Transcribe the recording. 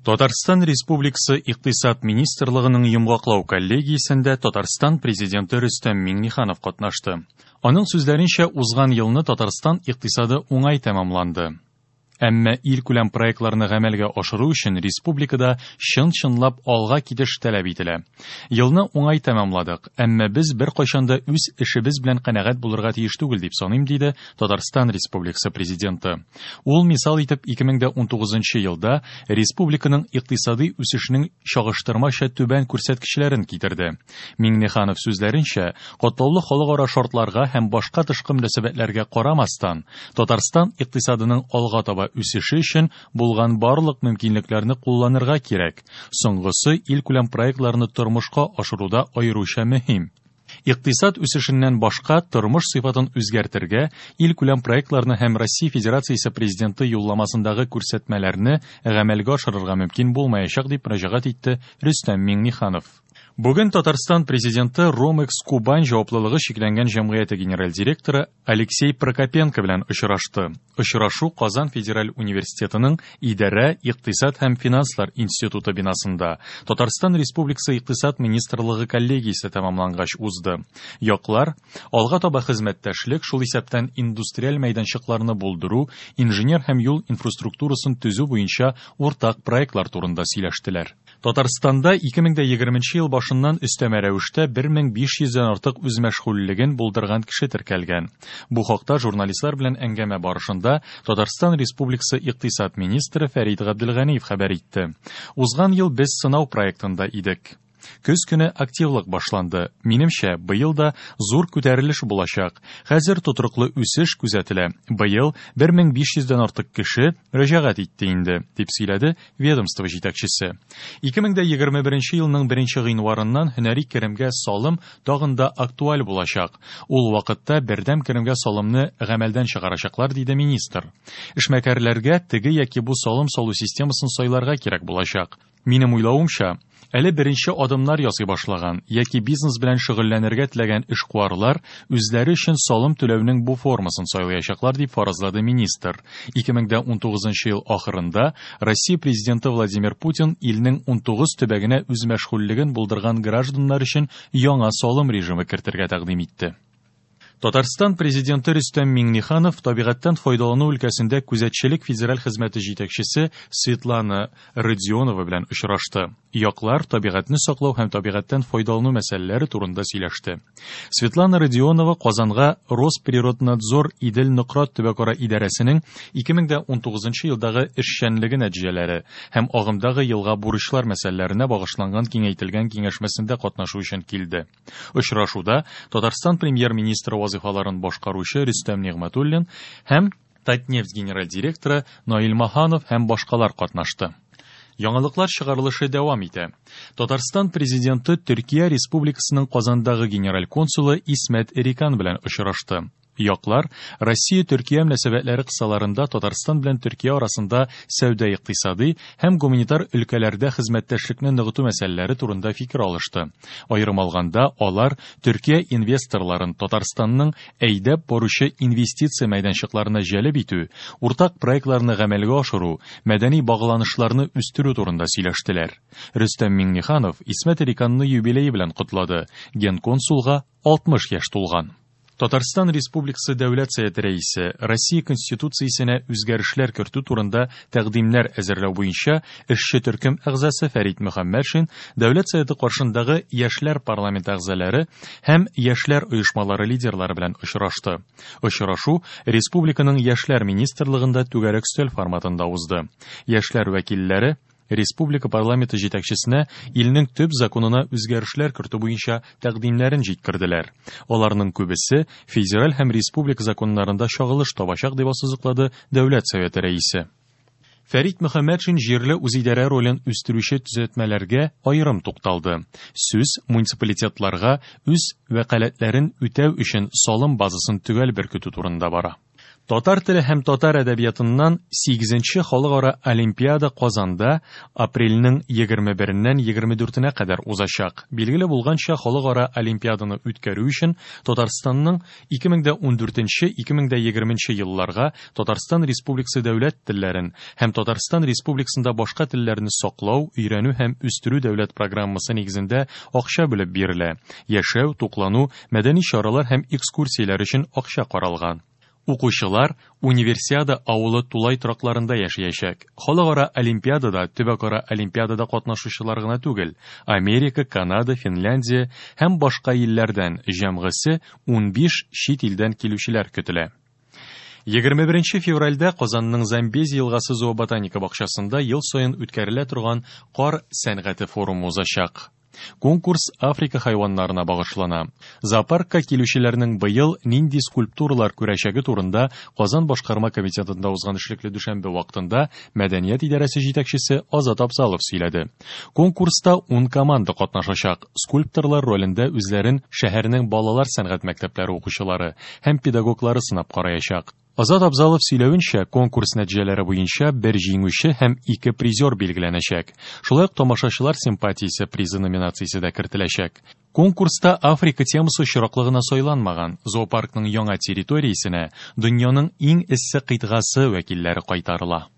Татарстан Республикасы Икътисад министрлыгының йомгаклау коллегиясендә Татарстан Президенты Рөстәм Миңнеханов катнашты. Аның сүзләренчә, узган елны Татарстан икътисады уңай тәмамланды. Әмма илкүләм проектларны гамәлгә ашыру өчен республикада чын-чынлап алга китеш таләп ителә. Елны уңай тәмамладык, әмма без беркайчан да үз эшебез белән канәгать булырга тиеш түгел дип саныйм, диде Татарстан Республикасы Президенты. Ул мисал итеп 2019 елда республиканың икътисади үсешенең чагыштырмача түбән күрсәткечләрен китерде. Миңнеханов сүзләренчә, катлаулы халыкара шартларга һәм башка тышкы мөнәсәбәтләргә карамастан, Татарстан икътисадының алга таба үсеше өчен булган барлык мөмкинлекләрне кулланырга кирәк. Соңгысы илкүләм проектларны тормышка ашыруда аеруча мөһим. Икътисад үсешеннән башка тормыш сыйфатын үзгәртергә, илкүләм проектларны һәм Россия Федерациясе Президенты юлламасындагы күрсәтмәләрне гамәлгә ашырырга мөмкин булмаячак, дип мөрәҗәгать итте Рөстәм Миңнеханов. Бүген Татарстан Президенты Ромекс Кубань җаваплылыгы чикләнгән җәмгыяте генераль директоры Алексей Прокопенко белән очрашты. Очрашу Казан федераль университетының Идарә, икътисад һәм финанслар институты бинасында Татарстан Республикасы Икътисад министрлыгы коллегиясе тәмамлангач узды. Яклар алга таба хезмәттәшлек, шул исәптән индустриаль мәйданчыкларны булдыру, инженер һәм юл инфраструктурасын төзү буенча уртак проектлар турында сөйләштеләр. Татарстанда 2020 ел башыннан өстәмә рәвештә 1500 дән артык үзмәшгульлеген булдырган кеше теркәлгән. Бу хакта журналистлар белән әңгәмә барышында Татарстан Республикасы икътисад министры Фәрит Габделганиев хәбәр итте. Узган ел без сынау проектында идек. Көз көне активлык башланды. Минемчә, быел да зур күтәрелеш булачак. Хәзер тотрыклы үсеш күзәтелә. Быел 1500 дән артык кеше мөрәҗәгать итте инде, дип сөйләде ведомство җитәкчесе. 2021 елның 1 гыйнварыннан һөнәри керемгә салым тагын да актуаль булачак. Ул вакытта бердәм керемгә салымны гамәлдән чыгарачаклар, диде министр. Эшмәкәрләргә теге яки бу салым салу системасын сайларга кирәк булачак. Минем уйлавымча, әле беренче адымнар ясый башлаган яки бизнес белән шөгыльләнергә теләгән эшкуарлар үзләре өчен салым түләүнең бу формасын сайлаячаклар, дип фаразлады министр. 2019 ел ахырында Россия Президенты Владимир Путин илнең 19 төбәгенә үзмәшгульлеген булдырган гражданнар өчен яңа салым режимы кертергә тәкъдим итте. Татарстан Президенты Рөстәм Миңнеханов табигатьтән файдалану өлкәсендә күзәтчелек федераль хезмәте җитәкчесе Светлана Родионова белән очрашты. Яклар табигатьне саклау һәм табигатьтән файдалану мәсьәләләре турында сөйләште. Светлана Родионова Казанга Росприроднадзор Идел-Нократ төбәкара идарәсенең 2019 елдагы эшчәнлеге нәтиҗәләре һәм агымдагы елга бурычлар мәсьәләләренә багышланган киңәйтелгән киңәшмәсендә катнашу өчен килде. Очрашуда Татарстан премьер-министры вазифаларын башкаручы Рөстәм Нигъмәтуллин һәм Татнефть генераль директоры Наил Маханов һәм башкалар катнашты. Яңалыклар чыгарылышы дәвам итә. Татарстан президенты Төркия Республикасының Казандагы генераль консулы Исмәт Эрикан белән очрашты. Яклар Россия-Төркия мөнәсәбәтләре кысаларында Татарстан белән Төркия арасында сәүдә-икътисади һәм гуманитар өлкәләрдә хезмәттәшлекне ныгыту мәсьәләләре турында фикер алышты. Аерым алганда, алар Төркия инвесторларын Татарстанның әйдәп баручы инвестиция мәйданчыкларына җәлеп итү, уртак проектларны гамәлгә ашыру, мәдәни багланышларны үстерү турында сөйләштеләр. Рөстәм Миңнеханов Исмәт Эриканны юбилее белән котлады. Генконсулга 60 яшь тулган. Татарстан Республикасы Дәүләт Советы Рәисе Россия Конституциясенә үзгәрешләр кертү турында тәкъдимнәр әзерләү буенча эшче төркем әгъзасы Фәрит Мөхәммәтшин Дәүләт Советы каршындагы Яшьләр парламенты әгъзалары һәм яшьләр оешмалары лидерлары белән очрашты. Очрашу республиканың Яшьләр министрлыгында түгәрәк өстәл форматында узды. Яшьләр вәкилләре республика парламенты җитәкчесенә илнең төп законына үзгәрешләр кертү буенча тәкъдимнәрен җиткерделәр. Аларның күбесе федераль һәм республика законнарында чагылыш табачак, дип ассызыклады Дәүләт Советы рәисе. Фәрит Мөхәммәтшин җирле үзидарә ролен үстерүче төзәтмәләргә аерым тукталды. Сүз муниципалитетларга үз вәкаләтләрен үтәү өчен салым базасын төгәл беркетү турында бара. Татар теле һәм татар әдәбиятыннан 8нче халыкара олимпиада Казанда апрельнең 21-ннән 24-нә кадәр узачак. Билгеле булганча, халыкара олимпиаданы үткәрү өчен Татарстанның 2014-2020 елларга Татарстан Республикасы дәүләт телләрен һәм Татарстан Республикасында башка телләрне саклау, өйрәнү һәм үстерү дәүләт программасы нигезендә акча бүлеп бирелә. Яшәү, туклану, мәдәни чаралар һәм экскурсияләр өчен акча каралган. Укучылар Универсиада авылы тулай торакларында яшәячәк. Халыкара олимпиадада төбәкара олимпиадада катнашучылар гына түгел, Америка, Канада, Финляндия һәм башка илләрдән җәмгысе 15 чит илдән килүчеләр көтелә. 21 февральдә Казанның Замбези елгасы зооботаника бакчасында ел саен үткәрелә торган кар сәнгате форумы узачак. Конкурс Африка хайваннарына багышлана. Зоопаркка килүчеләрнең быел нинди скульптуралар күрәчәге турында Казан башкарма комитетында узган эшлекле дүшәмбе вакытында мәдәният идарәсе җитәкчесе Азат Абзалов сөйләде. Конкурста 10 команда катнашачак. Скульпторлар ролендә үзләрен шәһәрнең балалар сәнгать мәктәпләре укучылары һәм педагоглары сынап караячак. Азат Абзалов сөйләвенчә, конкурс нәтиҗәләре буенча бер җиңүче һәм ике призер билгеләнәчәк. Шулай ук тамашачылар симпатиясе призы номинациясе дә кертеләчәк. Конкурста Африка темасы очраклы гына сайланмаган. Зоопаркның яңа территориясенә дөньяның иң эссе кыйтгасы вәкилләре кайтарыла.